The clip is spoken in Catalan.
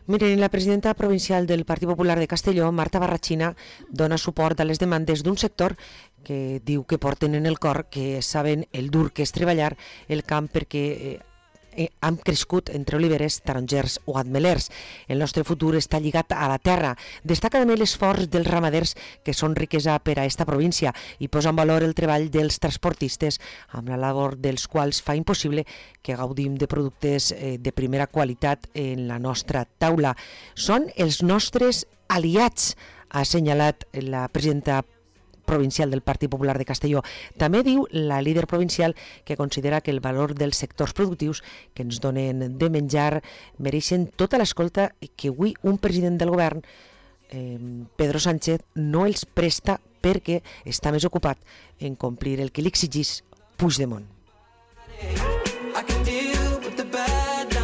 Miren, la presidenta provincial del Partit Popular de Castelló, Marta Barrachina, dona suport a les demandes d'un sector que diu que porten en el cor, que saben el dur que és treballar el camp perquè han crescut entre oliveres, tarongers o ametllers. El nostre futur està lligat a la terra. Destaca també l'esforç dels ramaders, que són riquesa per a esta província, i posa en valor el treball dels transportistes, amb la labor dels quals fa impossible que gaudim de productes de primera qualitat en la nostra taula. Són els nostres aliats, ha assenyalat la presidenta provincial del Partit Popular de Castelló. També diu la líder provincial que considera que el valor dels sectors productius que ens donen de menjar mereixen tota l'escolta que avui un president del govern, Pedro Sánchez, no els presta perquè està més ocupat en complir el que li exigís Puigdemont.